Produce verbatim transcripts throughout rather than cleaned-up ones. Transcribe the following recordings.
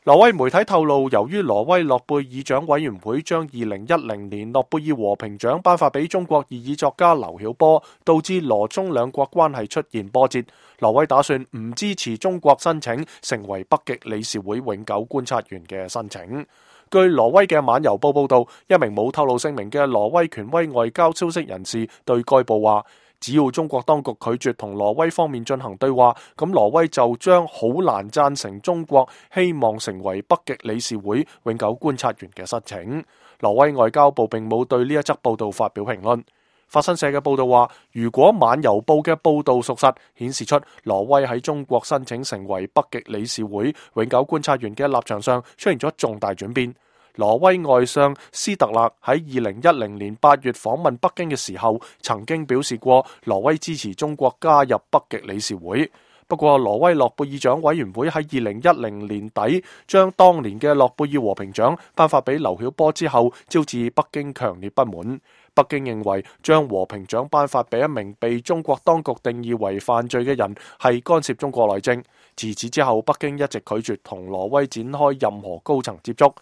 挪威媒體透露，由於挪威諾貝爾獎委員會將二零一零年諾貝爾和平獎頒發俾中國異議作家劉曉波，導致挪中兩國關係出現波折。挪威打算唔支持中國申請成為北極理事會永久觀察員嘅申請。據挪威嘅晚郵報報道，一名冇透露姓名嘅挪威權威外交消息人士對該報話，只要中國當局拒絕同挪威方面進行對話，咁挪威就將好難贊成中國希望成為北極理事會永久觀察員嘅申請。挪威外交部並冇對呢一則報道發表評論。法新社嘅報道話，如果晚郵報嘅報道屬實，顯示出挪威喺中國申請成為北極理事會永久觀察員嘅立場上出現咗重大轉變。挪威外相斯特勒喺二零一零年八月訪問北京嘅時候，曾經表示過挪威支持中國加入北極理事會。不過，挪威諾貝爾獎委員會喺二零一零年底將當年嘅諾貝爾和平獎頒發俾劉曉波之後，招致北京強烈不滿。北京認為將和平獎頒發俾一名被中國當局定義為犯罪嘅人係干涉中國內政。自此之後，北京一直拒絕同挪威展開任何高層接觸。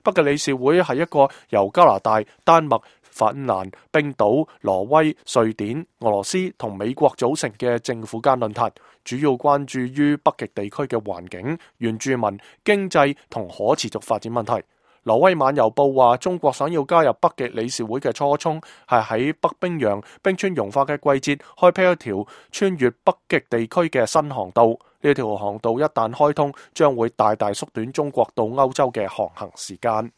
北極理事會係一個由加拿大、丹麥、芬蘭、冰島、挪威、瑞典、俄羅斯同美國組成嘅政府間論壇，主要關注於北極地區嘅環境、原住民、經濟同可持續發展問題。挪威晚郵報話，中國想要加入北極理事會嘅初衷係喺北冰洋冰川融化嘅季節開闢一條穿越北極地區嘅新航道。呢條航道一旦開通，將會大大縮短中國到歐洲嘅航行時間。